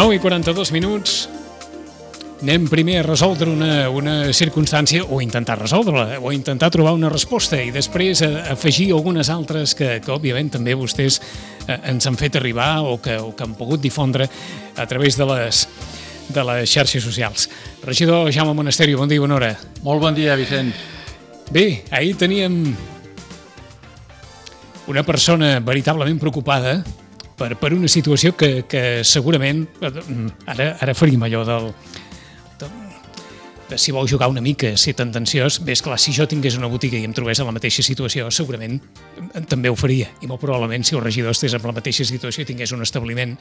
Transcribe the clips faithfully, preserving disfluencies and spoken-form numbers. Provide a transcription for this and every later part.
nou i quaranta-dos minuts. Anem primer a resoldre una, una circumstància, o intentar resoldre-la, o intentar trobar una resposta, i després a, afegir algunes altres que, que òbviament, també vostès eh, ens han fet arribar o que, o que han pogut difondre a través de les, de les xarxes socials. Regidor Jaume Monasterio, bon dia i bona hora. Molt bon dia, Vicent. Bé, ahir teníem una persona veritablement preocupada per, per una situació que, que segurament, ara, ara faríem allò del, de, de si vol jugar una mica, ser tendenciós. Bé, esclar, si jo tingués una botiga i em trobés en la mateixa situació, segurament també ho faria, i molt probablement si el regidor estés en la mateixa situació i tingués un establiment,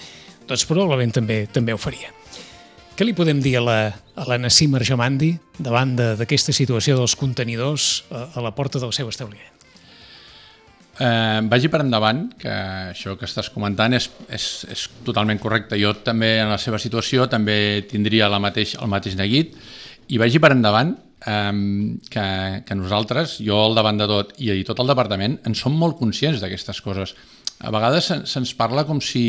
doncs probablement també també ho faria. Què li podem dir a la, a la Nassim Arjomandi davant d'aquesta situació dels contenidors a, a la porta del seu establiment? Eh, vagi per endavant, que això que estàs comentant és, és, és totalment correcte. Jo també, en la seva situació, també tindria la mateix, el mateix neguit, i vagi per endavant eh, que, que nosaltres, jo al davant de tot i tot el departament, en som molt conscients d'aquestes coses. A vegades se, se'ns parla com si,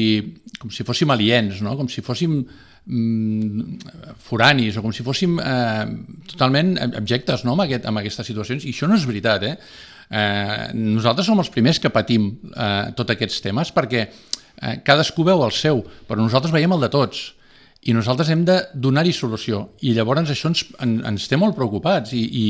com si fóssim aliens, no? Com si fóssim mm, foranis, o com si fóssim eh, totalment objectes, no? amb, aquest, amb aquestes situacions, i això no és veritat, eh? Eh, nosaltres som els primers que patim eh, tots aquests temes, perquè eh, cadascú veu el seu, però nosaltres veiem el de tots, i nosaltres hem de donar-hi solució, i llavors això ens, en, ens té molt preocupats, i, i,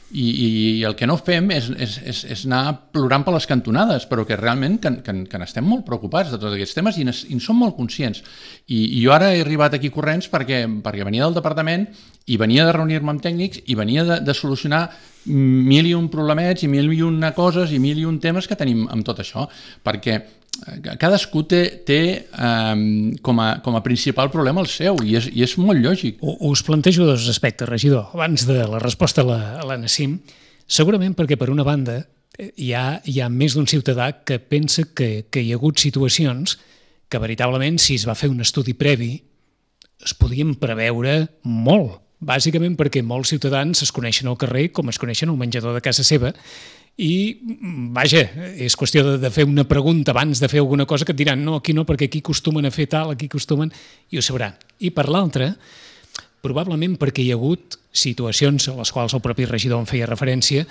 i, i el que no fem és, és, és, és anar plorant per les cantonades, però que realment que, que, que n'estem molt preocupats de tots aquests temes, i, i en som molt conscients, i, i jo ara he arribat aquí corrents perquè, perquè venia del departament i venia de reunir-me amb tècnics i venia de, de solucionar mil i un problemets i mil i una coses i mil i un temes que tenim amb tot això, perquè cadascú té, té um, com, a, com a principal problema el seu, i és, i és molt lògic. Us plantejo dos aspectes, regidor, abans de la resposta a la, a la Nassim. Segurament perquè, per una banda, hi ha, hi ha més d'un ciutadà que pensa que, que hi ha hagut situacions que veritablement, si es va fer un estudi previ, es podien preveure molt. Bàsicament perquè molts ciutadans es coneixen al carrer com es coneixen al menjador de casa seva, i, vaja, és qüestió de, de fer una pregunta abans de fer alguna cosa que et diran no, aquí no, perquè aquí acostumen a fer tal, aquí acostumen, i ho sabran. I per l'altra, probablement perquè hi ha hagut situacions a les quals el propi regidor en feia referència,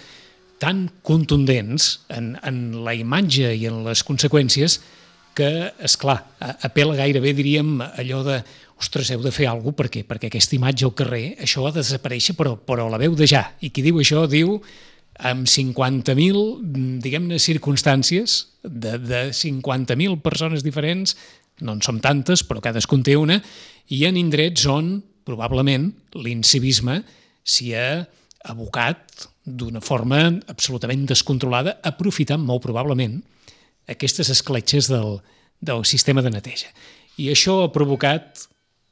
tan contundents en, en la imatge i en les conseqüències que, esclar, apel·la gairebé, diríem, allò de ostres, heu de fer alguna cosa, perquè, perquè aquesta imatge al carrer, això ha de desaparèixer, però, però la veu de ja. I qui diu això diu amb cinquanta mil, diguem-ne, circumstàncies de, de cinquanta mil persones diferents, no en som tantes, però cadascun té una, i en indrets on, probablement, l'incivisme s'hi ha abocat d'una forma absolutament descontrolada, aprofitant molt probablement aquestes escletxes del, del sistema de neteja. I això ha provocat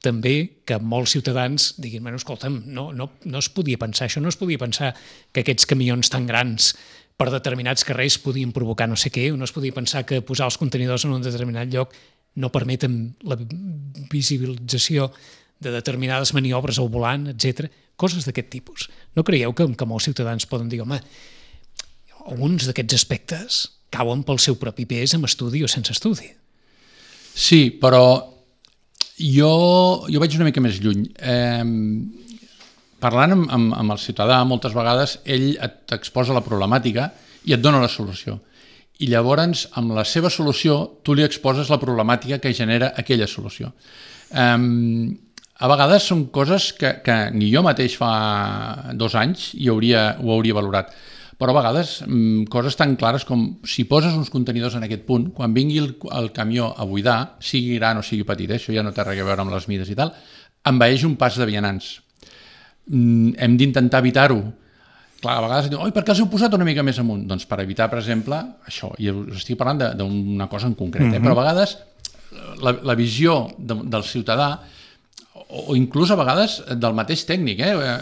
també que molts ciutadans diguin, bueno, escolta'm, no, no, no es podia pensar això, no es podia pensar que aquests camions tan grans per determinats carrers podien provocar no sé què, o no es podia pensar que posar els contenidors en un determinat lloc no permeten la visibilització de determinades maniobres al volant, etcètera. Coses d'aquest tipus. No creieu que, que molts ciutadans poden dir, home, alguns d'aquests aspectes cauen pel seu propi pes amb estudi o sense estudi? Sí, però Jo, jo vaig una mica més lluny. Eh, parlant amb, amb, amb el ciutadà, moltes vegades, ell t'exposa la problemàtica i et dona la solució. I llavors, amb la seva solució, tu li exposes la problemàtica que genera aquella solució. Eh, a vegades són coses que, que ni jo mateix fa dos anys hi hauria, ho hauria valorat. Però a vegades mmm, coses tan clares com si poses uns contenidors en aquest punt, quan vingui el, el camió a buidar, sigui gran o sigui petit, eh, això ja no té res a veure amb les mides i tal, envaeix un pas de vianants. Mm, hem d'intentar evitar-ho. Clar, a vegades diuen, oi, per què els heu posat una mica més amunt? Doncs per evitar, per exemple, això, i us estic parlant d'una cosa en concret, eh? Mm-hmm. Però a vegades la, la visió de, del ciutadà, o, o inclús a vegades del mateix tècnic, eh,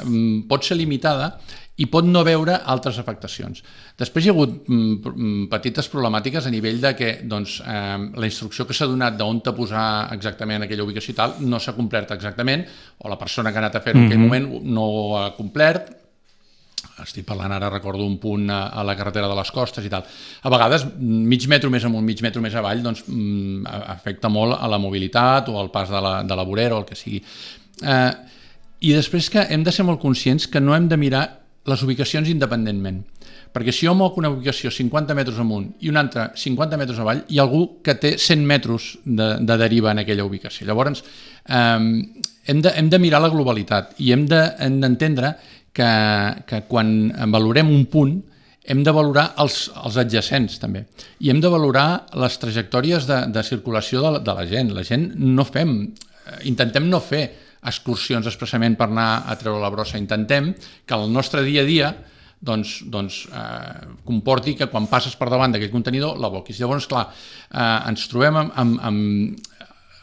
pot ser limitada i pot no veure altres afectacions. Després hi ha hagut mm, petites problemàtiques a nivell de que doncs, eh, la instrucció que s'ha donat d'on te posar exactament aquella ubicació i tal no s'ha complert exactament, o la persona que ha anat a fer-ho en aquell moment no ho ha complert. estic parlant ara, recordo un punt a, a la carretera de les Costes i tal. A vegades, mig metro més amunt, mig metro més avall, doncs mm, afecta molt a la mobilitat o al pas de la, de la vorera o el que sigui. Eh, I després que hem de ser molt conscients que no hem de mirar les ubicacions independentment. Perquè si jo moc una ubicació cinquanta metres amunt i una altra cinquanta metres avall, hi ha algú que té cent metres de, de deriva en aquella ubicació. Llavors, eh, hem, de, hem de mirar la globalitat i hem d'entendre de, que, que quan valorem un punt hem de valorar els, els adjacents també i hem de valorar les trajectòries de, de circulació de la, de la gent. La gent no fem, intentem no fer excursions expressament per anar a treure la brossa, intentem que el nostre dia a dia doncs, doncs eh, comporti que quan passes per davant d'aquell contenidor l'aboquis. Llavors, clar, eh, ens trobem amb, amb, amb...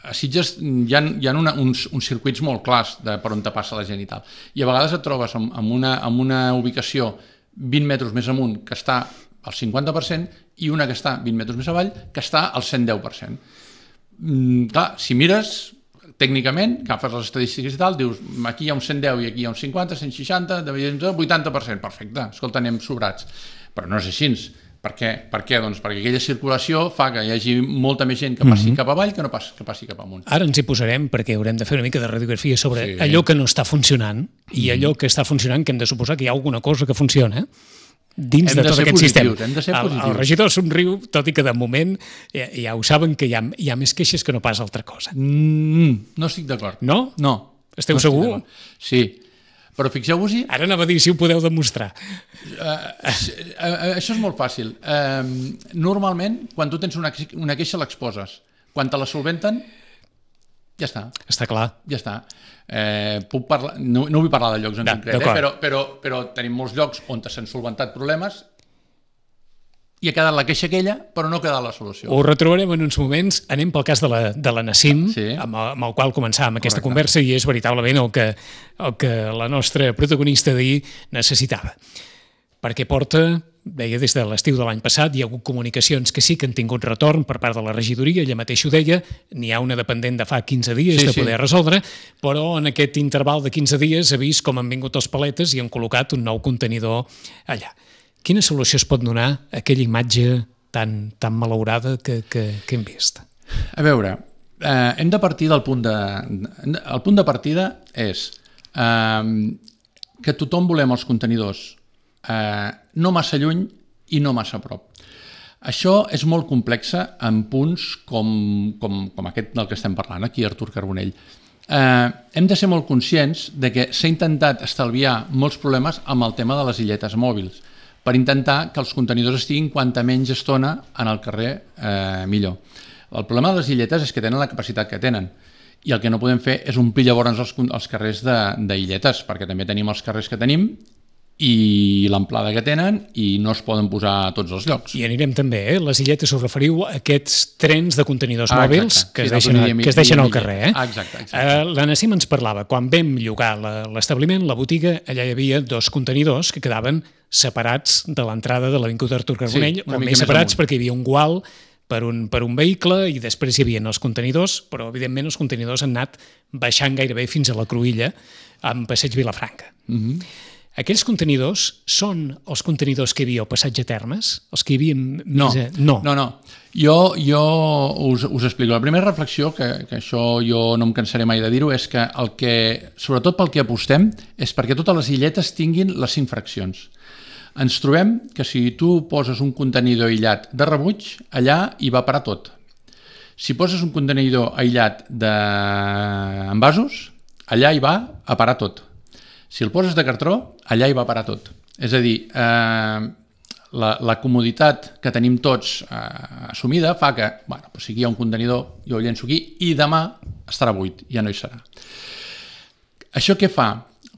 A Sitges hi ha, hi ha una, uns, uns circuits molt clars de per on te passa la gent i tal. I a vegades et trobes amb, amb, una, amb una ubicació vint metres més amunt que està al cinquanta per cent i una que està vint metres més avall que està al cent deu per cent. Mm, clar, si mires... Tècnicament, agafes les estadístiques i tal, dius, aquí hi ha un cent deu i aquí hi ha un cinquanta, cent seixanta, vuitanta per cent, perfecte, escolta, anem sobrats. Però no és així. Per què? Per què? Doncs perquè aquella circulació fa que hi hagi molta més gent que passi mm-hmm. cap avall que no passi, que passi cap amunt. Ara ens hi posarem perquè haurem de fer una mica de radiografia sobre sí. allò que no està funcionant i allò que està funcionant, que hem de suposar que hi ha alguna cosa que funciona, dins hem de tot de aquest positius, sistema. Hem de ser el, el regidor somriu, tot i que de moment ja, ja ho saben que hi ha, hi ha més queixes que no pas altra cosa. Mm, no estic d'acord. No? No. Esteu no segur? Sí. Però fixeu-vos-hi... Ara anava a dir si ho podeu demostrar. Uh, uh, això és molt fàcil. Uh, normalment, quan tu tens una, una queixa l'exposes. Quan te la solventen, ja està. Està clar. Ja està. Eh, puc parlar, no, no vull parlar de llocs en concret, eh, però, però, però tenim molts llocs on s'han solventat problemes i ha quedat la queixa aquella, però no ha quedat la solució. Ho retrobarem en uns moments. Anem pel cas de la, de la Nassim, sí. amb, amb el qual començàvem aquesta Correcte. conversa i és veritablement el que, el que la nostra protagonista d'ahir necessitava. Perquè porta, deia, des de l'estiu de l'any passat, hi ha hagut comunicacions que sí que han tingut retorn per part de la regidoria, ella mateix ho deia, n'hi ha una dependent de fa quinze dies sí, de poder sí. resoldre, però en aquest interval de quinze dies ha vist com han vingut els paletes i han col·locat un nou contenidor allà. Quina solució es pot donar a aquella imatge tan, tan malaurada que, que, que hem vist? A veure, eh, hem de partir del punt de... El punt de partida és eh, que tothom volem els contenidors eh, no massa lluny i no massa a prop. Això és molt complex en punts com, com, com aquest del que estem parlant, aquí Artur Carbonell. Eh, hem de ser molt conscients de que s'ha intentat estalviar molts problemes amb el tema de les illetes mòbils, per intentar que els contenidors estiguin quanta menys estona en el carrer eh, millor. El problema de les illetes és que tenen la capacitat que tenen i el que no podem fer és omplir llavors els, els carrers d'illetes, perquè també tenim els carrers que tenim i l'amplada que tenen i no es poden posar a tots els llocs. I anirem també, eh? Les illetes us referiu a aquests trens de contenidors ah, mòbils que, sí, es deixen, que es deixen al carrer. Eh? Ah, exacte, exacte. Uh, la Nassim ens parlava, quan vam llogar l'establiment, la botiga, allà hi havia dos contenidors que quedaven separats de l'entrada de l'Avinguda Artur Carbonell, sí, o més separats perquè hi havia un gual per un, per un vehicle i després hi havia els contenidors, però evidentment els contenidors han anat baixant gairebé fins a la Cruïlla amb Passeig Vilafranca. Mhm. Mm Aquells contenidors són els contenidors que hi havia al passatge Termes? Els que hi havia... No, a... no, no. no. Jo, jo us, us explico. La primera reflexió, que, que això jo no em cansaré mai de dir-ho, és que el que, sobretot pel que apostem, és perquè totes les illetes tinguin les cinc fraccions. Ens trobem que si tu poses un contenidor aïllat de rebuig, allà hi va parar tot. Si poses un contenidor aïllat d'envasos, allà hi va a parar tot. Si el poses de cartró, allà hi va parar tot. És a dir, eh, la, la comoditat que tenim tots eh, assumida fa que, bueno, doncs si aquí hi ha un contenidor, jo ho llenço aquí i demà estarà buit, ja no hi serà. Això què fa?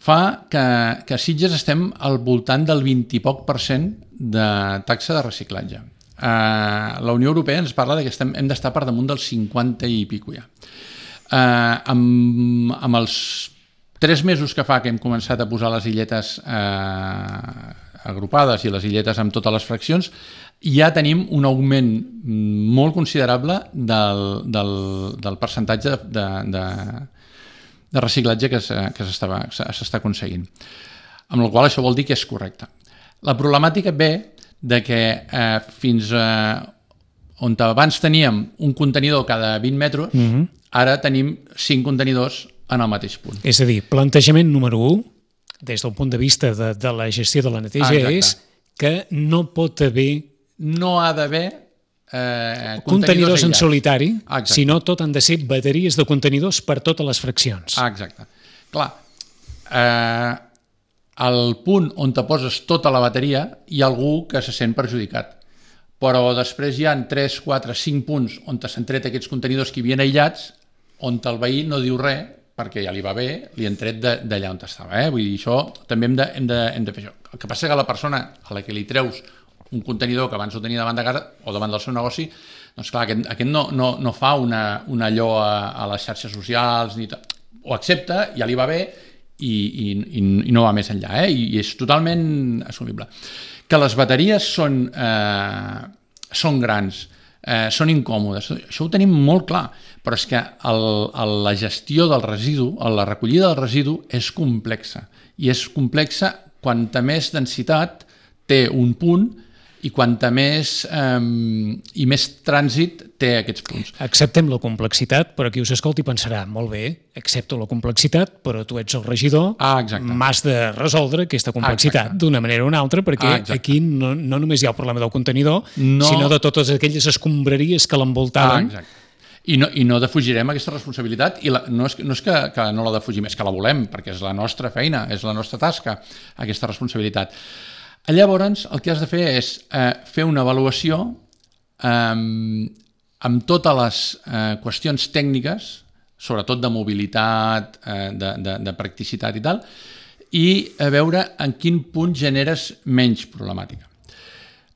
Fa que, que a Sitges estem al voltant del vint i poc per cent de taxa de reciclatge. Eh, la Unió Europea ens parla de que estem, hem d'estar per damunt del cinquanta i pico ja. Eh, amb, amb els tres mesos que fa que hem començat a posar les illetes eh, agrupades i les illetes amb totes les fraccions, ja tenim un augment molt considerable del, del, del percentatge de, de, de reciclatge que s'està aconseguint. amb la qual cosa això vol dir que és correcte. La problemàtica ve de que eh, fins a on abans teníem un contenidor cada vint metres, mm-hmm. ara tenim cinc contenidors en el mateix punt. És a dir, plantejament número u, des del punt de vista de, de la gestió de la neteja, ah, és que no pot haver... No ha d'haver eh, contenidors, contenidors en solitari, exacte. Sinó tot han de ser bateries de contenidors per totes les fraccions. Ah, exacte. Clar, eh, al punt on te poses tota la bateria hi ha algú que se sent perjudicat. Però després hi ha tres, quatre, cinc punts on s'han tret aquests contenidors que hi havien aïllats, on el veí no diu res, perquè ja li va bé, li han tret d'allà on estava. Eh? Vull dir, això també hem de, hem, de, hem de fer això. El que passa que la persona a la que li treus un contenidor que abans ho tenia davant de casa o davant del seu negoci, doncs clar, aquest, aquest no, no, no fa una, una allò a, a les xarxes socials, ni tot. Ho accepta, ja li va bé i, i, i no va més enllà, eh? I, i és totalment assumible. Que les bateries són, eh, són grans, eh, són incòmodes, això ho tenim molt clar, però és que el, el, la gestió del residu, la recollida del residu és complexa, i és complexa quanta més densitat té un punt i quanta més eh, i més trànsit té aquests punts. Acceptem la complexitat, però qui us escolti pensarà, molt bé, accepto la complexitat, però tu ets el regidor, ah, m'has de resoldre aquesta complexitat d'una manera o una altra, perquè ah, aquí no, no només hi ha el problema del contenidor, no... sinó de totes aquelles escombraries que l'envoltaven. Ah, exacte. I no, i no defugirem aquesta responsabilitat, i la, no és, no és que, que no la defugim, és que la volem, perquè és la nostra feina, és la nostra tasca, aquesta responsabilitat. Llavors, el que has de fer és eh, fer una avaluació eh, amb totes les eh, qüestions tècniques, sobretot de mobilitat, eh, de, de, de practicitat i tal, i a veure en quin punt generes menys problemàtica.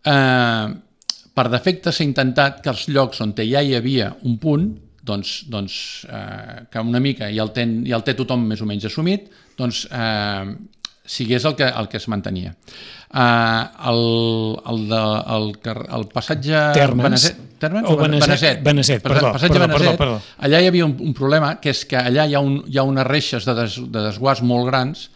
Eh, per defecte s'ha intentat que els llocs on ja hi havia un punt, doncs, doncs eh, que una mica ja el, ten, ja el té tothom més o menys assumit, doncs eh, sigués el que, el que es mantenia. Uh, el, el, de, el, el passatge Termes, Beneset, Termes o Beneset, Beneset, perdó, passatge perdó, Beneset, perdó, perdó. Allà hi havia un, un problema, que és que allà hi ha, un, hi ha unes reixes de, des, de desguàs molt grans,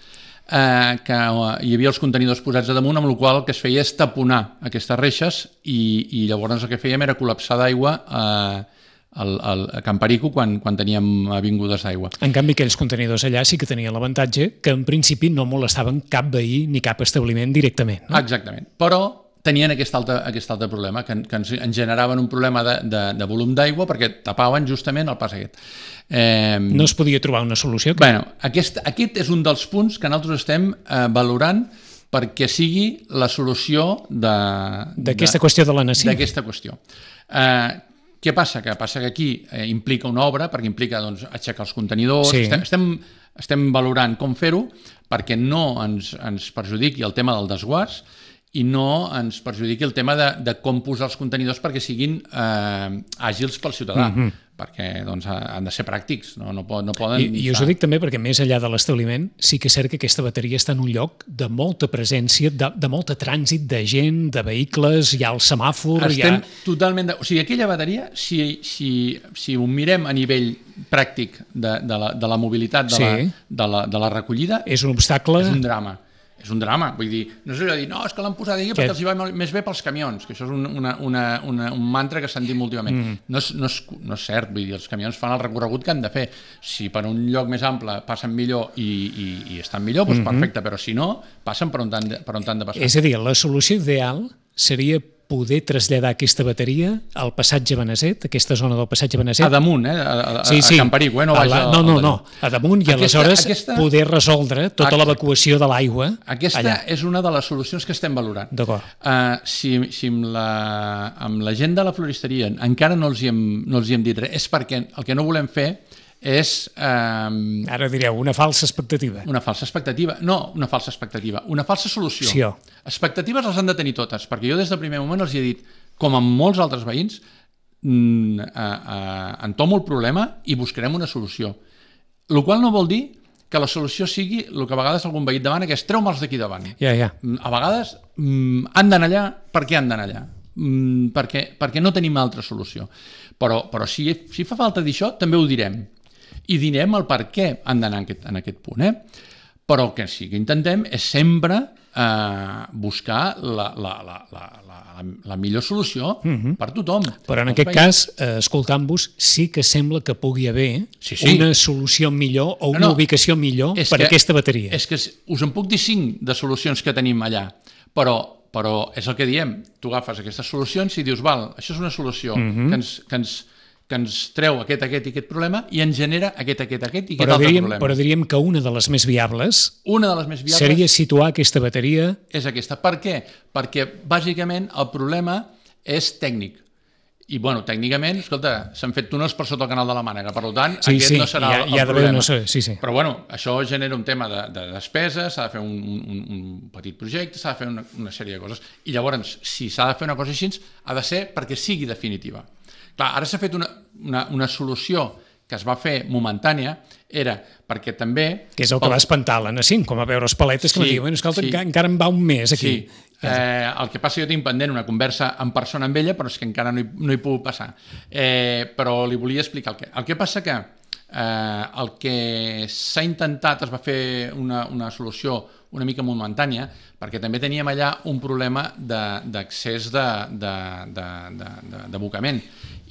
eh, que hi havia els contenidors posats a damunt, amb la qual el que es feia és taponar aquestes reixes i, i llavors el que fèiem era col·lapsar d'aigua eh, al, al, a Can Perico quan, quan teníem avingudes d'aigua. En canvi, aquells contenidors allà sí que tenien l'avantatge que en principi no molestaven cap veí ni cap establiment directament. No? Exactament, però tenien aquest altre, aquest altre problema, que, que ens, ens generaven un problema de, de, de volum d'aigua perquè tapaven justament el pas aquest. Eh, no es podia trobar una solució? Que... Bueno, aquest, aquest és un dels punts que nosaltres estem eh, valorant perquè sigui la solució d'aquesta qüestió de la nació. D'aquesta qüestió. Eh, Què passa? Que passa que aquí eh, implica una obra, perquè implica doncs, aixecar els contenidors, sí. estem, estem, estem valorant com fer-ho perquè no ens, ens perjudiqui el tema del desguàs i no ens perjudiqui el tema de, de com posar els contenidors perquè siguin eh, àgils pel ciutadà, mm-hmm. perquè doncs, han de ser pràctics, no, no, no poden... I, i us ho dic també perquè més enllà de l'establiment sí que és cert que aquesta bateria està en un lloc de molta presència, de, de molta trànsit de gent, de vehicles, hi ha el semàfor... Estem hi ha... totalment... De... O sigui, aquella bateria, si, si, si ho mirem a nivell pràctic de, de, la, de la mobilitat, de, sí. la, de, la, de la recollida... És un obstacle... És un drama. És un drama, vull dir, no és allò de dir, no, és que l'han posat aquí perquè els hi va més bé pels camions, que això és un, una, una, una, un mantra que s'han dit molt últimament. Mm. No, és, no, és, no és cert, vull dir, els camions fan el recorregut que han de fer. Si per un lloc més ample passen millor i, i, i estan millor, doncs mm-hmm. perfecte, però si no, passen per on han de, per on han de passar. És a dir, la solució ideal seria poder traslladar aquesta bateria al passatge Beneset, aquesta zona del passatge Beneset. A damunt, eh? A, a, sí, sí. a Can Perico, eh? No, la, no, no, no, a damunt i aquesta, aleshores aquesta... poder resoldre tota l'evacuació de l'aigua Aquesta allà. És una de les solucions que estem valorant. D'acord. Uh, si si amb, la, amb la gent de la floristeria encara no els hi hem, no els hi hem dit res, és perquè el que no volem fer és... Eh, Ara direu, una falsa expectativa. Una falsa expectativa. No, una falsa expectativa. Una falsa solució. Sí, oh. Expectatives les han de tenir totes, perquè jo des del primer moment els he dit, com amb molts altres veïns, mm, eh, eh, entomo el problema i buscarem una solució. El qual no vol dir que la solució sigui el que a vegades algun veí demana, que és treu-me'ls d'aquí davant. Ja, ja. A vegades mm, han d'anar allà, per què han d'anar allà? Mm, perquè, perquè no tenim altra solució. Però, però si, si fa falta dir això, també ho direm. I direm el per què han d'anar en aquest, en aquest punt. Eh? però el que sí que intentem és sempre eh, buscar la, la, la, la, la, la millor solució uh-huh. per tothom. Però en aquest país. cas, eh, escoltant-vos, sí que sembla que pugui haver sí, sí. una solució millor o una no, no, ubicació millor per que, a aquesta bateria. És que us en puc dir cinc de solucions que tenim allà, però, però és el que diem, tu agafes aquestes solucions i dius, val, això és una solució uh-huh. que ens... Que ens que ens treu aquest, aquest i aquest problema i ens genera aquest, aquest, aquest i aquest però altre diríem, problema. Però diríem que una de les més viables, una de les més viables seria situar aquesta bateria... És aquesta. Per què? Perquè, bàsicament, el problema és tècnic. I, bueno, tècnicament, escolta, s'han fet túnels per sota el canal de la Mànega, per tant, sí, aquest sí, no serà ha, el problema. No sé, sí, sí. Però, bueno, això genera un tema de, de despesa, s'ha de fer un, un, un petit projecte, s'ha de fer una, una sèrie de coses. I llavors, si s'ha de fer una cosa així, ha de ser perquè sigui definitiva. Clar, ara s'ha fet una, una, una solució que es va fer momentània, era perquè també... Que és el que pel... va espantar l'A N A cinc, com a veure les paletes, que sí, va dir, bueno, escolta, sí. encara em va un mes aquí. Sí, eh, el que passa jo tinc pendent una conversa en persona amb ella, però és que encara no hi, no hi puc passar. Eh, però li volia explicar el que... El que passa que eh, el que s'ha intentat, es va fer una, una solució una mica momentània, perquè també teníem allà un problema d'accés d'abocament.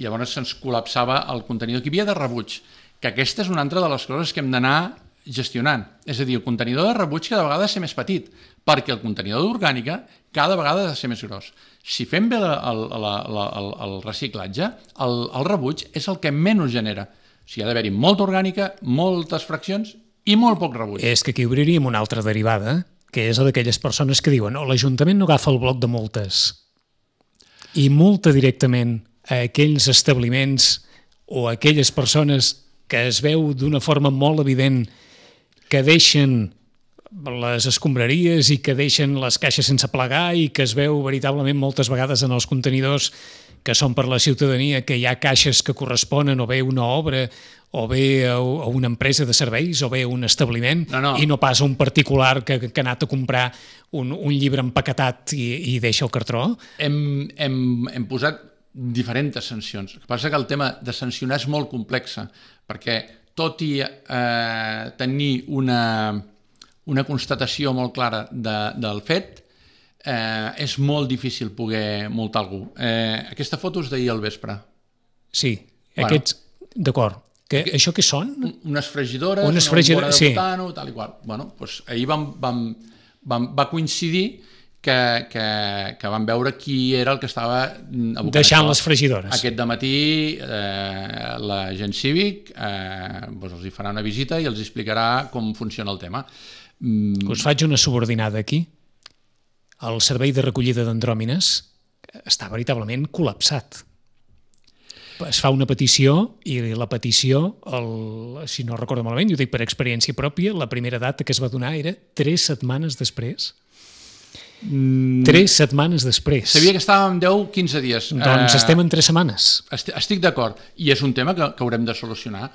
I llavors se'ns col·lapsava el contenidor. Que hi havia de rebuig, que aquesta és una altra de les coses que hem d'anar gestionant. És a dir, el contenidor de rebuig cada vegada ha de ser més petit, perquè el contenidor d'orgànica cada vegada ha de ser més gros. Si fem bé el, el, el, el, el reciclatge, el, el rebuig és el que menys genera. O sigui, ha d'haver-hi molta orgànica, moltes fraccions i molt poc rebuig. És que aquí obriríem una altra derivada, que és la d'aquelles persones que diuen oh, l'Ajuntament no agafa el bloc de multes i multa directament a aquells establiments o a aquelles persones que es veu d'una forma molt evident que deixen les escombraries i que deixen les caixes sense plegar i que es veu veritablement moltes vegades en els contenidors que són per la ciutadania, que hi ha caixes que corresponen o bé una obra o bé a una empresa de serveis o bé a un establiment no, no. i no pas a un particular que, que ha anat a comprar un, un llibre empaquetat i, i deixa el cartró. Hem, hem, hem posat diferents sancions. El que passa que el tema de sancionar és molt complex, perquè tot i eh, tenir una, una constatació molt clara de, del fet, eh, és molt difícil poder multar algú. Eh, aquesta foto és d'ahir al vespre. Sí, bueno. Aquests, d'acord. Que, això què són? Unes fregidores, unes una fregidores, bombona de butano, sí. Tal i qual. Bueno, doncs ahir vam, vam, vam, va coincidir que, que, que vam veure qui era el que estava abocant. Deixant les fregidores. Aquest dematí eh, l'agent cívic eh, doncs els hi farà una visita i els explicarà com funciona el tema. Mm. Us faig una subordinada aquí. El servei de recollida d'andròmines està veritablement col·lapsat. Es fa una petició i la petició, el, si no recordo malament, i ho dic per experiència pròpia, la primera data que es va donar era tres setmanes després. Mm. Tres setmanes després. Sabia que estàvem deu a quinze dies. Doncs uh, estem en tres setmanes. Estic, estic d'acord, i és un tema que, que haurem de solucionar.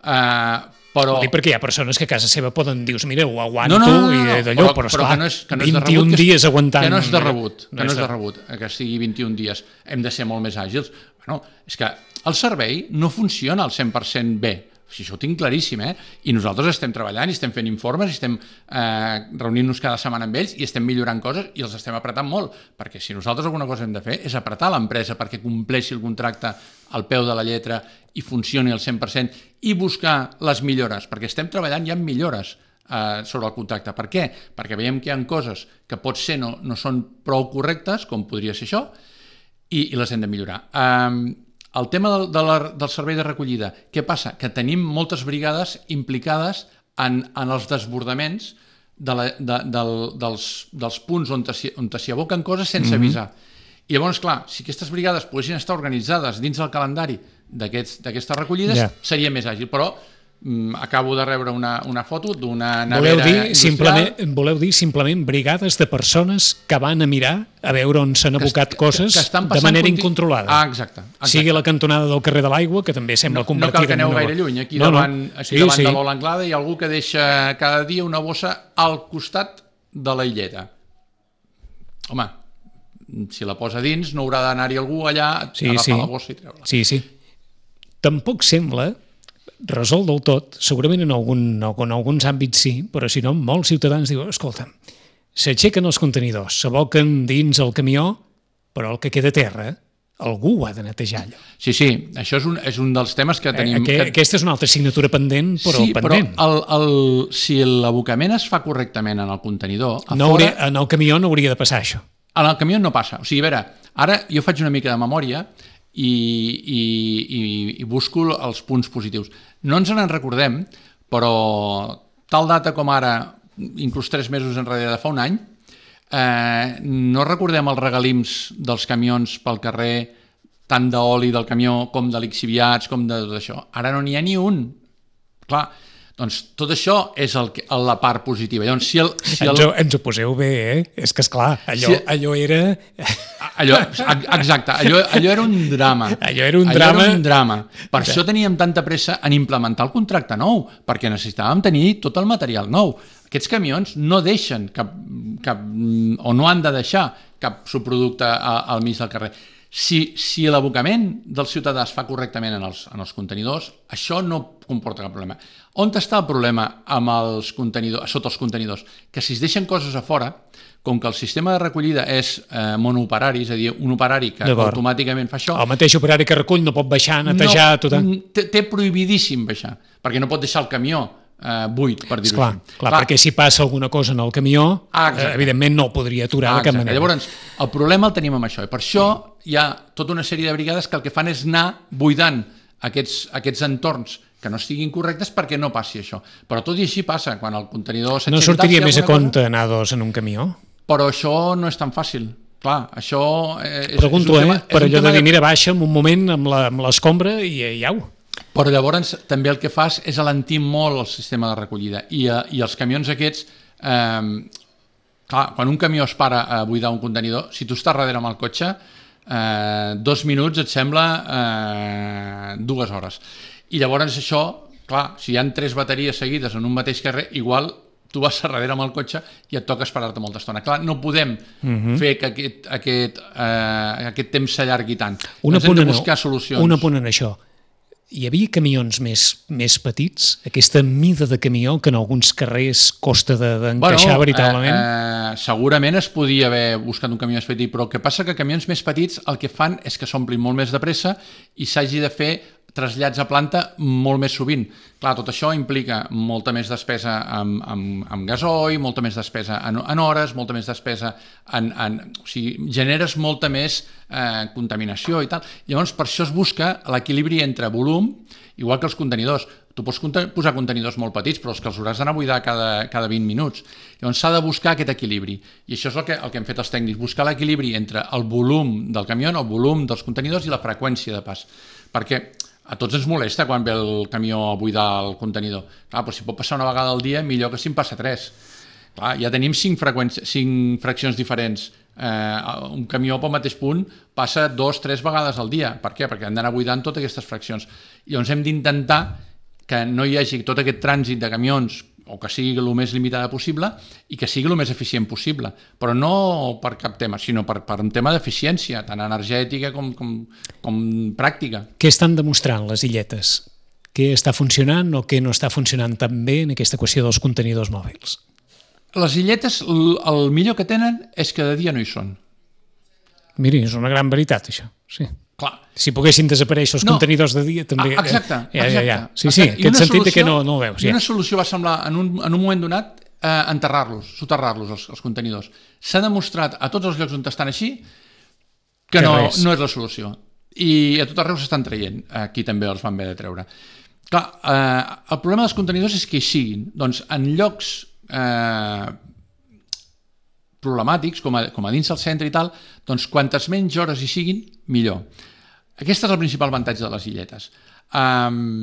Uh, però... Dic perquè hi ha persones que a casa seva poden dir, mira, ho aguanto no, no, no, no, i d'allò, però, però esclar, no és, que no és vint-i-un rebut, dies aguantant... Que no és de rebut, que no és de rebut, que sigui vint-i-un dies. Hem de ser molt més àgils. Bueno, és que el servei no funciona al cent per cent bé. Si això ho tinc claríssim, eh? I nosaltres estem treballant i estem fent informes i estem eh, reunint-nos cada setmana amb ells i estem millorant coses i els estem apretant molt, perquè si nosaltres alguna cosa hem de fer és apretar l'empresa perquè compleixi el contracte al peu de la lletra i funcioni al cent per cent i buscar les millores, perquè estem treballant ja en millores eh, sobre el contracte. Per què? Perquè veiem que hi ha coses que potser no, no són prou correctes, com podria ser això, i, i les hem de millorar. Eh, El tema del, de la, del servei de recollida, què passa? Que tenim moltes brigades implicades en, en els desbordaments de la, de, del, dels, dels punts on s'hi aboquen coses sense avisar. Mm-hmm. I llavors, clar, si aquestes brigades poguessin estar organitzades dins del calendari d'aquestes recollides, yeah. seria més àgil, però mm, acabo de rebre una, una foto d'una nevera voleu dir, simplement, voleu dir simplement brigades de persones que van a mirar a veure on s'han abocat que, coses que, que de manera continu... incontrolada. Ah, exacte, exacte. Sigui la cantonada del carrer de l'Aigua, que també sembla no, convertida... No cal que aneu gaire lluny. Aquí no, davant, no. Aquí sí, davant sí. de l'Ola Anglada hi ha algú que deixa cada dia una bossa al costat de la illeta. Home, si la posa dins no haurà d'anar-hi algú allà a sí, agafar sí. la bossa i treure-la. Sí, sí. Tampoc sembla, resolt del tot, segurament en, algun, en alguns àmbits sí, però si no, molts ciutadans diuen, escolta, s'aixequen els contenidors, s'aboquen dins el camió, però el que queda a terra, algú ho ha de netejar allò. Sí, sí, això és un, és un dels temes que tenim... Aqu que... Aquesta és una altra assignatura pendent, però sí, pendent. Sí, però el, el, si l'abocament es fa correctament en el contenidor... A no fora, hauria, en el camió no hauria de passar això. En el camió no passa. O sigui, a veure, ara jo faig una mica de memòria i, i, i, i busco els punts positius. No ens en recordem, però tal data com ara, inclús tres mesos enrere de fa un any, eh, no recordem els regalims dels camions pel carrer, tant d'oli del camió com de lixiviats, com de tot això. Ara no n'hi ha ni un. Clar, doncs tot això és el que, la part positiva. Llavors, si el, si el... Ens, ho, ens ho poseu bé, eh? És que, esclar, allò, si... allò era... Allò, exacte, allò, allò era un drama. Allò era un allò drama. Era un drama. Per ja. això teníem tanta pressa en implementar el contracte nou, perquè necessitàvem tenir tot el material nou. Aquests camions no deixen cap, cap o no han de deixar cap subproducte al mig del carrer. Si, si l'abocament del ciutadà es fa correctament en els, en els contenidors, això no comporta cap problema. On està el problema amb els contenidors, sota els contenidors? Que si es deixen coses a fora, com que el sistema de recollida és eh, monooperari, és a dir, un operari que automàticament fa això... El mateix operari que recull no pot baixar, netejar... No, tot... té, té prohibidíssim baixar, perquè no pot deixar el camió eh, buit, per dir-ho així. Clar, clar, perquè si passa alguna cosa en el camió, ah, eh, evidentment no podria aturar ah, de cap manera. Llavors, el problema el tenim amb això, i per això hi ha tota una sèrie de brigades que el que fan és anar buidant aquests, aquests entorns que no estiguin correctes perquè no passi això. Però tot i així passa, quan el contenidor s'aixeca... No sortiria més a compte cosa, anar dos en un camió? Però això no és tan fàcil. Clar, això... És, Pregunto, és un tema, eh? Per allò de dir, de... mira, baixa en un moment amb l'escombra i, i au. Però llavors també el que fas és alentir molt el sistema de recollida. I, i els camions aquests... Eh, clar, quan un camió es para a buidar un contenidor, si tu estàs darrere amb el cotxe, eh, dos minuts et sembla eh, dues hores. I llavors això, clar, si hi ha tres bateries seguides en un mateix carrer, igual tu vas a darrere amb el cotxe i et toca esperar-te molta estona. Clar, no podem uh-huh. fer que aquest, aquest, eh, aquest temps s'allargui tant. Una Ens hem de buscar solucions. Un apunt en això. Hi havia camions més, més petits? Aquesta mida de camió que en alguns carrers costa d'encaixar de, bueno, veritablement? Eh, eh, segurament es podia haver buscat un camió més petit, però el que passa que camions més petits el que fan és que s'omplin molt més de pressa i s'hagi de fer trasllats a planta molt més sovint. Clar, tot això implica molta més despesa amb, amb, amb gasoil, molta més despesa en, en hores, molta més despesa en... en o sigui, generes molta més eh, contaminació i tal. Llavors, per això es busca l'equilibri entre volum, igual que els contenidors. Tu pots posar contenidors molt petits, però els que els hauràs d'anar a buidar cada, cada vint minuts. Llavors s'ha de buscar aquest equilibri. I això és el que, el que hem fet els tècnics, buscar l'equilibri entre el volum del camió, el volum dels contenidors i la freqüència de pas. Perquè a tots ens molesta quan ve el camió a buidar el contenidor. Clar, però si pot passar una vegada al dia, millor que si en passa tres. Clar, ja tenim cinc, cinc fraccions diferents. Eh, un camió pel mateix punt passa dos, tres vegades al dia. Per què? Perquè han d'anar buidant totes aquestes fraccions. I llavors hem d'intentar que no hi hagi tot aquest trànsit de camions o que sigui el més limitada possible i que sigui el més eficient possible, però no per cap tema, sinó per, per un tema d'eficiència, tant energètica com, com, com pràctica. Què estan demostrant les illetes? Què està funcionant o què no està funcionant tan bé en aquesta qüestió dels contenidors mòbils? Les illetes, el millor que tenen és que de dia no hi són. Miri, és una gran veritat, això, sí. Clar. Si poguessin desaparèixer els no. contenidors de dia també... Ah, exacte, ja, exacte. Ja, ja. Sí, sí, exacte. aquest sentit solució, que no, no ho veus. I ja. una solució va semblar, en un, en un moment donat, eh, enterrar-los, soterrar-los, els, els contenidors. S'ha demostrat a tots els llocs on estan així que, que no, no és la solució. I a tot arreu s'estan traient. Aquí també els van haver de treure. Clar, eh, el problema dels contenidors és que hi siguin. Doncs en llocs eh, problemàtics, com a, com a dins del centre i tal, doncs quantes menys hores hi siguin, millor. Aquest és el principal avantatge de les illetes. Um,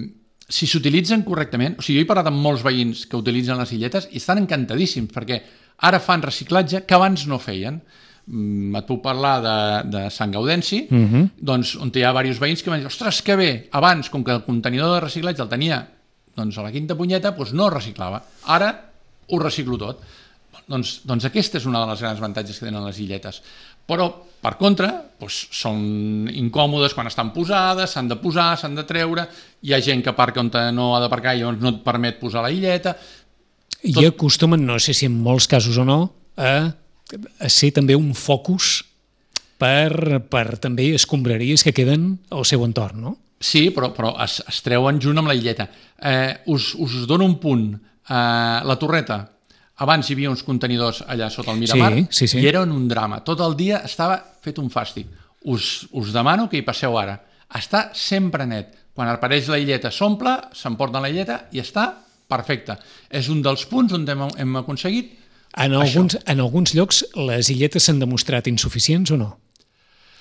si s'utilitzen correctament, o sigui, jo he parlat amb molts veïns que utilitzen les illetes i estan encantadíssims perquè ara fan reciclatge que abans no feien. Um, et puc parlar de, de Sant Gaudenci, uh-huh. doncs, on hi ha diversos veïns que m'han dit, ostres, que bé, abans, com que el contenidor de reciclatge el tenia doncs, a la quinta punyeta, doncs no reciclava. Ara ho reciclo tot. Doncs, doncs aquesta és una de les grans avantatges que tenen les illetes. Però, per contra, doncs, són incòmodes quan estan posades, s'han de posar, s'han de treure, hi ha gent que aparca on no ha d'aparcar i llavors no et permet posar la illeta. I Tot... acostumen, no sé si en molts casos o no, a, a ser també un focus per, per també escombraries que queden al seu entorn, no? Sí, però, però es, es treuen junt amb la illeta. Eh, us, us dono un punt. Eh, la torreta, abans hi havia uns contenidors allà sota el Miramar, sí, sí, sí. i eren un drama. Tot el dia estava fet un fàstic. Us, us demano que hi passeu ara. Està sempre net. Quan apareix la illeta s'omple, s'emporten la illeta i està perfecte. És un dels punts on hem, hem aconseguit en alguns, en alguns llocs les illetes s'han demostrat insuficients o no?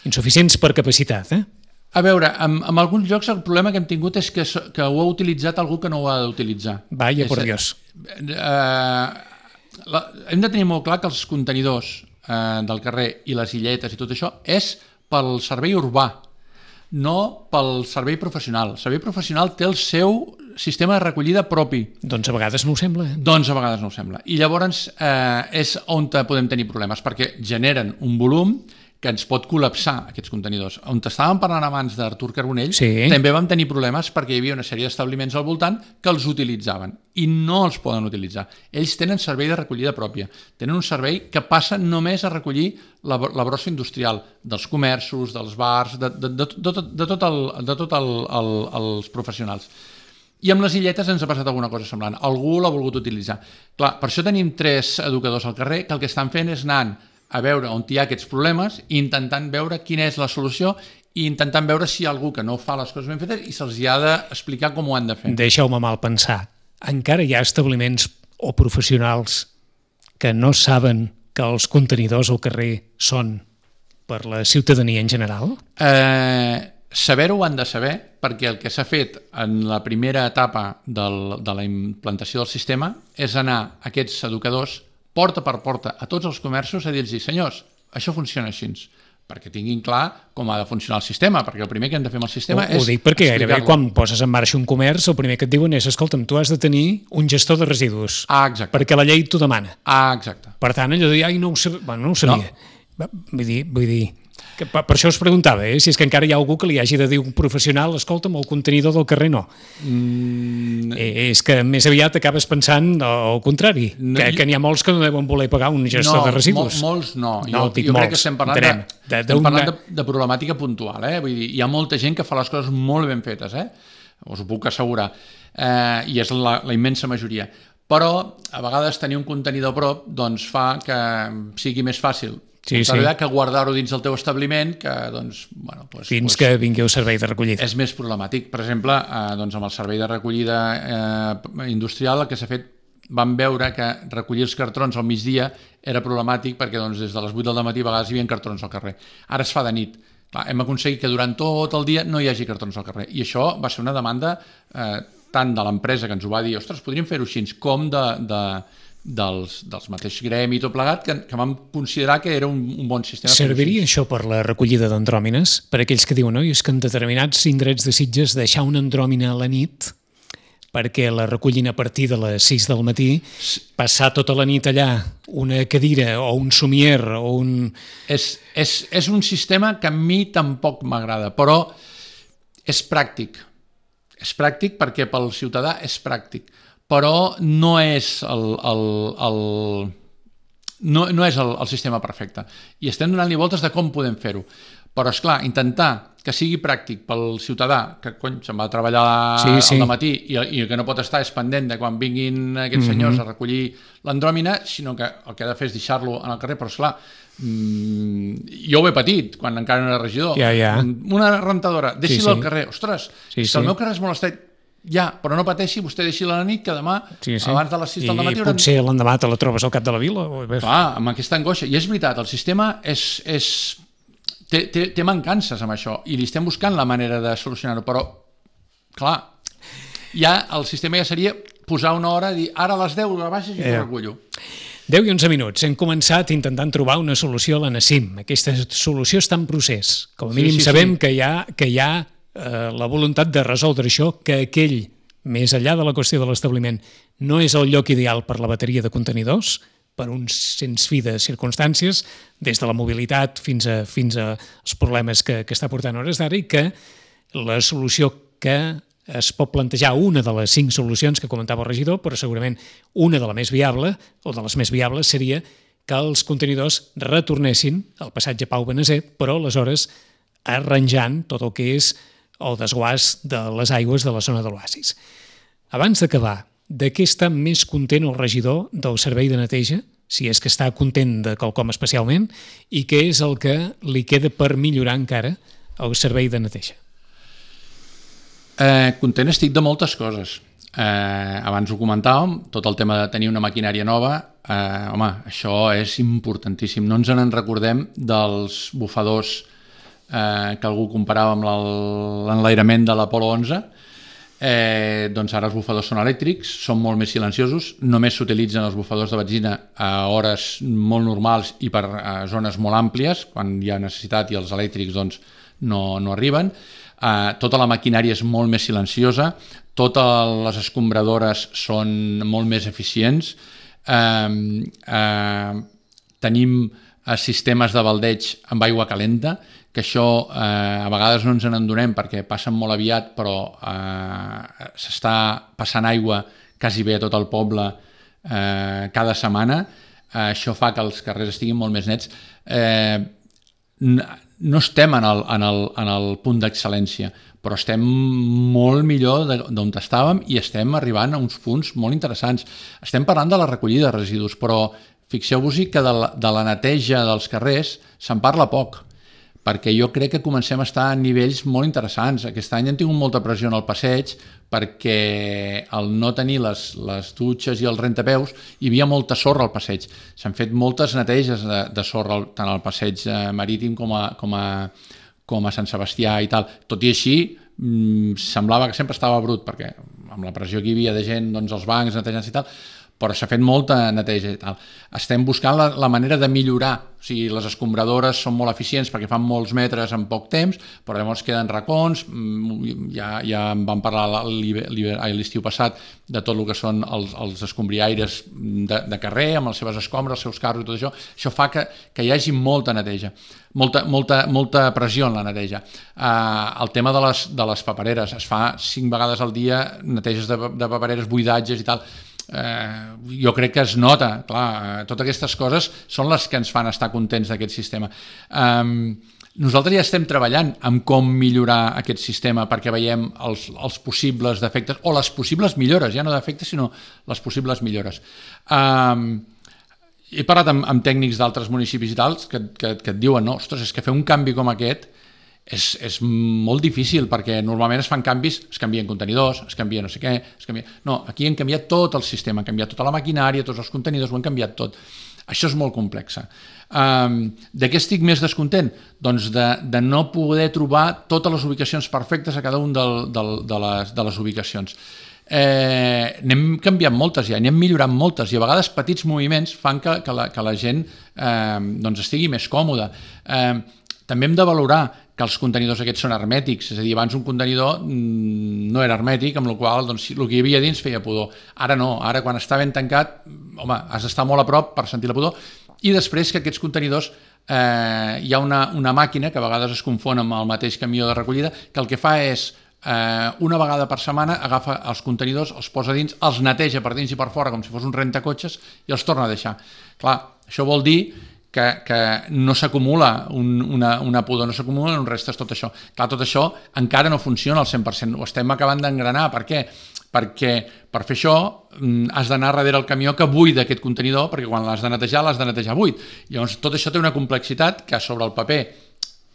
Insuficients per capacitat, eh? A veure, en, en alguns llocs el problema que hem tingut és que, que ho ha utilitzat algú que no ho ha d'utilitzar. Vaya, por Dios. Eh, la, hem de tenir molt clar que els contenidors eh, del carrer i les illetes i tot això és pel servei urbà, no pel servei professional. El servei professional té el seu sistema de recollida propi. Doncs a vegades no ho sembla. Eh? Doncs a vegades no ho sembla. I llavors eh, és on podem tenir problemes, perquè generen un volum que ens pot col·lapsar aquests contenidors. On estàvem parlant abans d'Artur Carbonell, sí. també vam tenir problemes perquè hi havia una sèrie d'establiments al voltant que els utilitzaven i no els poden utilitzar. Ells tenen servei de recollida pròpia, tenen un servei que passa només a recollir la, la brossa industrial dels comerços, dels bars, de, de, de, de, de, de tot, el, de tot el, el, els professionals. I amb les illetes ens ha passat alguna cosa semblant. Algú l'ha volgut utilitzar. Clar, per això tenim tres educadors al carrer que el que estan fent és anant a veure on hi ha aquests problemes i intentant veure quina és la solució i intentant veure si hi ha algú que no fa les coses ben fetes i se'ls ha d'explicar com ho han de fer. Deixeu-me mal pensar. Encara hi ha establiments o professionals que no saben que els contenidors al carrer són per la ciutadania en general? Eh, saber-ho ho han de saber perquè el que s'ha fet en la primera etapa del, de la implantació del sistema és anar a aquests educadors porta per porta a tots els comerços a dir-los, senyors, això funciona així, perquè tinguin clar com ha de funcionar el sistema, perquè el primer que hem de fer amb el sistema ho, és ho dic perquè gairebé quan poses en marxa un comerç, el primer que et diuen és, escolta'm, tu has de tenir un gestor de residus, ah, exacte. perquè la llei t'ho demana. Ah, exacte. Per tant, allò de dir, ai, no ho sabia, bueno, no ho sabia. No. Vull dir, vull dir que per, per això us preguntava, eh, si és que encara hi ha algú que li hagi de dir un professional, escolta'm, el contenidor del carrer no. Mm. Eh, és que més aviat acabes pensant al contrari, no, que, que n'hi ha molts que no deuen voler pagar un gestor no, de residus. No, molts no. no jo jo molts. crec que estem parlant, de, de, estem parlant de, de problemàtica puntual. Eh? Vull dir, hi ha molta gent que fa les coses molt ben fetes, eh? Us ho puc assegurar, eh, i és la, la immensa majoria. Però a vegades tenir un contenidor a prop doncs, fa que sigui més fàcil sí, sí. que guardar-ho dins del teu establiment, que doncs, bueno, doncs, fins doncs, que vingui el servei de recollida. És més problemàtic. Per exemple, eh, doncs amb el servei de recollida eh, industrial, el que s'ha fet, vam veure que recollir els cartrons al migdia era problemàtic perquè doncs, des de les vuit del matí a vegades hi havia cartrons al carrer. Ara es fa de nit. Clar, hem aconseguit que durant tot el dia no hi hagi cartrons al carrer. I això va ser una demanda eh, tant de l'empresa que ens ho va dir, ostres, podríem fer-ho així, com de... de dels, dels mateixos gremi i tot plegat, que, que vam considerar que era un, un bon sistema. Serviria això per la recollida d'andròmines? Per aquells que diuen, no, és que en determinats indrets de Sitges deixar una andròmina a la nit perquè la recollin a partir de les sis del matí, passar tota la nit allà una cadira o un somier o un... És, és, és un sistema que a mi tampoc m'agrada, però és pràctic. És pràctic perquè pel ciutadà és pràctic. Però no és el, el, el, no, no és el, el sistema perfecte. I estem donant-li voltes de com podem fer-ho. Però, esclar, intentar que sigui pràctic pel ciutadà, que cony, se'n va a treballar sí, sí. al matí i, i que no pot estar és pendent de quan vinguin aquests senyors mm-hmm. a recollir l'andròmina, sinó que el que ha de fer és deixar-lo en el carrer. Però, esclar, mmm, jo ho he patit quan encara no era regidor. Ja, ja. Una rentadora, deixi-la sí, sí. al carrer. Ostres, sí, si sí. el meu carrer és molt estret, ja, però no pateixi, vostè deixi-la a la nit, que demà, sí, sí. abans de les sis del matí... I potser hauran... l'endemà te la trobes al cap de la vila. O... Clar, amb aquesta angoixa. I és veritat, el sistema és, és... Té, té, té mancances amb això, i li estem buscant la manera de solucionar-ho, però, clar, ja el sistema ja seria posar una hora i dir, ara a les deu la baixes i eh. ho recullo. deu i onze minuts. Hem començat intentant trobar una solució a la Nassim. Aquesta solució està en procés. Com a mínim sí, sí, sabem sí. que hi ha... Que hi ha Eh, la voluntat de resoldre això, que aquell, més enllà de la qüestió de l'establiment, no és el lloc ideal per la bateria de contenidors, per un sens fi de circumstàncies, des de la mobilitat fins a, fins a els problemes que, que està portant a hores d'ara, i que la solució que es pot plantejar, una de les cinc solucions que comentava el regidor, però segurament una de la més viable, o de les més viables, seria que els contenidors retornessin al passatge Pau Beneset, però aleshores arranjant tot el que és el desguàs de les aigües de la zona de l'oasis. Abans d'acabar, de què està més content el regidor del servei de neteja, si és que està content de quelcom especialment, i què és el que li queda per millorar encara el servei de neteja? Eh, content estic de moltes coses. Eh, abans ho comentàvem, tot el tema de tenir una maquinària nova, eh, home, això és importantíssim. No ens en recordem dels bufadors eh, que algú comparava amb l'enlairament de l'Apolo onze. Eh, doncs ara els bufadors són elèctrics, són molt més silenciosos, només s'utilitzen els bufadors de benzina a hores molt normals i per a zones molt àmplies, quan hi ha necessitat, i els elèctrics doncs, no, no arriben. Eh, tota la maquinària és molt més silenciosa, totes les escombradores són molt més eficients, eh, eh, tenim sistemes de baldeig amb aigua calenta, que això eh, a vegades no ens en endonem perquè passen molt aviat, però eh, s'està passant aigua quasi bé a tot el poble eh, cada setmana. Eh, això fa que els carrers estiguin molt més nets. Eh, no estem en el, en el, en el punt d'excel·lència, però estem molt millor d'on estàvem i estem arribant a uns punts molt interessants. Estem parlant de la recollida de residus, però fixeu-vos-hi que de la, de la neteja dels carrers se'n parla poc, perquè jo crec que comencem a estar a nivells molt interessants. Aquest any hem tingut molta pressió en el passeig perquè al no tenir les, les dutxes i els rentapeus hi havia molta sorra al passeig. S'han fet moltes neteges de, de sorra tant al passeig marítim com a, com a, com a Sant Sebastià i tal. Tot i així, mmm, semblava que sempre estava brut, perquè amb la pressió que hi havia de gent, doncs els bancs netejant i tal, però s'ha fet molta neteja i tal. Estem buscant la, la manera de millorar. O sigui, les escombradores són molt eficients perquè fan molts metres en poc temps, però llavors queden racons. Ja, ja en vam parlar l'estiu passat de tot el que són els, els escombriaires de, de carrer, amb les seves escombres, els seus carros i tot això. Això fa que, que hi hagi molta neteja, molta, molta, molta pressió en la neteja. Uh, el tema de les, de les papereres, es fa cinc vegades al dia neteges de, de papereres, buidatges i tal. Eh, jo crec que es nota, clar, totes aquestes coses són les que ens fan estar contents d'aquest sistema. Eh, nosaltres ja estem treballant amb com millorar aquest sistema perquè veiem els, els possibles defectes o les possibles millores, ja no defectes sinó les possibles millores. Eh, he parlat amb, amb tècnics d'altres municipis i tals que, que, que et diuen, no, ostres, és que fer un canvi com aquest És, és molt difícil perquè normalment es fan canvis, es canvien contenidors, es canvia no sé què, es canvia... No, aquí hem canviat tot el sistema, hem canviat tota la maquinària, tots els contenidors, ho hem canviat tot. Això és molt complex. Um, de què estic més descontent? Doncs de, de no poder trobar totes les ubicacions perfectes a cada un del, del, de, les, de les ubicacions. Eh, n'hem canviat moltes ja, n'hem millorat moltes i a vegades petits moviments fan que, que, la, que la gent eh, doncs estigui més còmoda. Eh, també hem de valorar que els contenidors aquests són hermètics, és a dir, abans un contenidor no era hermètic, amb la qual cosa doncs, el que hi havia dins feia pudor. Ara no, ara quan està ben tancat, home, has d'estar molt a prop per sentir la pudor, i després que aquests contenidors eh, hi ha una, una màquina que a vegades es confon amb el mateix camió de recollida, que el que fa és eh, una vegada per setmana agafa els contenidors, els posa dins, els neteja per dins i per fora com si fos un rentacotxes i els torna a deixar. Clar, això vol dir Que, que no s'acumula un, una, una pudor, no s'acumula un restes tot això. Clar, tot això encara no funciona al cent per cent, ho estem acabant d'engranar. Per què? Perquè per fer això has d'anar darrere el camió que buida aquest contenidor, perquè quan l'has de netejar, l'has de netejar buit. Llavors tot això té una complexitat que sobre el paper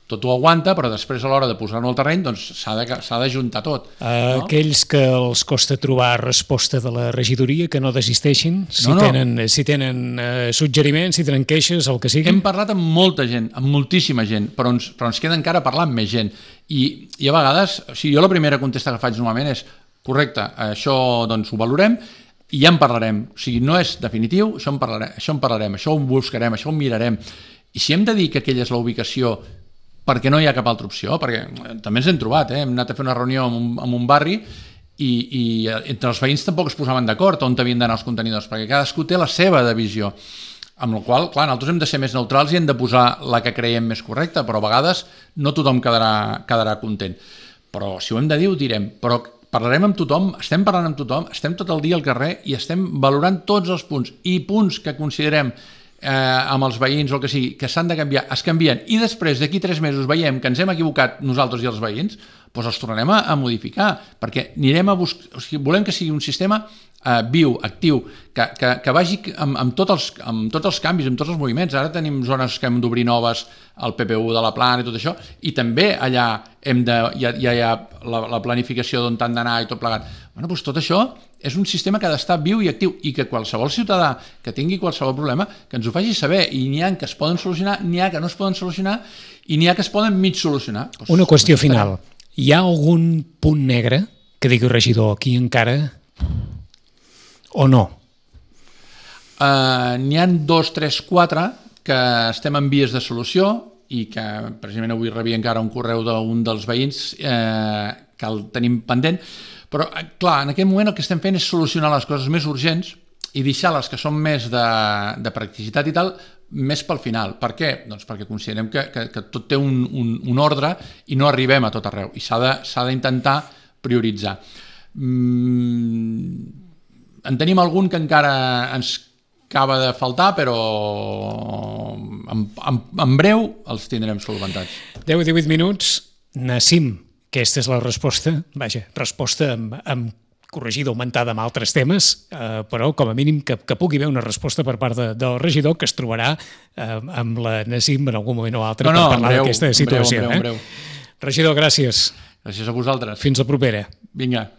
tot ho aguanta, però després a l'hora de posar-ho al terreny doncs s'ha de, s'ha de juntar tot. No? Aquells que els costa trobar resposta de la regidoria, que no desisteixin, si no, no. tenen, si tenen eh, suggeriments, si tenen queixes, el que sigui. Hem parlat amb molta gent, amb moltíssima gent, però ens, però ens queda encara parlar amb més gent. I, i a vegades, o sigui, jo la primera contesta que faig normalment és correcte, això doncs ho valorem i ja en parlarem. O sigui, no és definitiu, això en parlarem, això en parlarem, això ho buscarem, això ho mirarem. I si hem de dir que aquella és la ubicació perquè no hi ha cap altra opció, perquè també ens hem trobat, eh? Hem anat a fer una reunió en un, en un barri i, i entre els veïns tampoc es posaven d'acord on havien d'anar els contenidors, perquè cadascú té la seva divisió. Amb la qual cosa, clar, nosaltres hem de ser més neutrals i hem de posar la que creiem més correcta, però a vegades no tothom quedarà, quedarà content. Però si ho hem de dir, ho direm. Però parlarem amb tothom, estem parlant amb tothom, estem tot el dia al carrer i estem valorant tots els punts. I punts que considerem eh, amb els veïns o el que sigui, que s'han de canviar, es canvien. I després, d'aquí tres mesos, veiem que ens hem equivocat nosaltres i els veïns, doncs els tornarem a, a modificar, perquè anirem a buscar... O sigui, volem que sigui un sistema eh, viu, actiu, que, que, que vagi amb, amb, tots els, amb tots els canvis, amb tots els moviments. Ara tenim zones que hem d'obrir noves al P P U de la Plana i tot això, i també allà hem de, ja, ja hi ha la, la planificació d'on han d'anar i tot plegat. Bueno, doncs tot això és un sistema que ha d'estar viu i actiu i que qualsevol ciutadà que tingui qualsevol problema que ens ho faci saber, i n'hi ha que es poden solucionar, n'hi ha que no es poden solucionar i n'hi ha que es poden mig solucionar. Doncs, una qüestió final. Hi ha algun punt negre que digui regidor aquí encara o no? Uh, n'hi ha dos, tres, quatre que estem en vies de solució i que precisament avui rebia encara un correu d'un dels veïns eh, que el tenim pendent, però clar, en aquest moment el que estem fent és solucionar les coses més urgents i deixar les que són més de, de practicitat i tal més pel final. Per què? Doncs perquè considerem que, que, que tot té un, un, un ordre i no arribem a tot arreu i s'ha d'intentar prioritzar. Mm, en tenim algun que encara ens acaba de faltar, però en, en, en breu els tindrem solventats. deu i divuit minuts. Nassim, aquesta és la resposta, vaja, resposta amb, amb corregida, augmentada amb altres temes, eh, però com a mínim que, que pugui haver una resposta per part de, del regidor que es trobarà eh, amb la Nassim en algun moment o altre no, no, per parlar d'aquesta situació. En breu, en breu, en breu. Eh? Regidor, gràcies. Gràcies a vosaltres. Fins la propera. Vinga.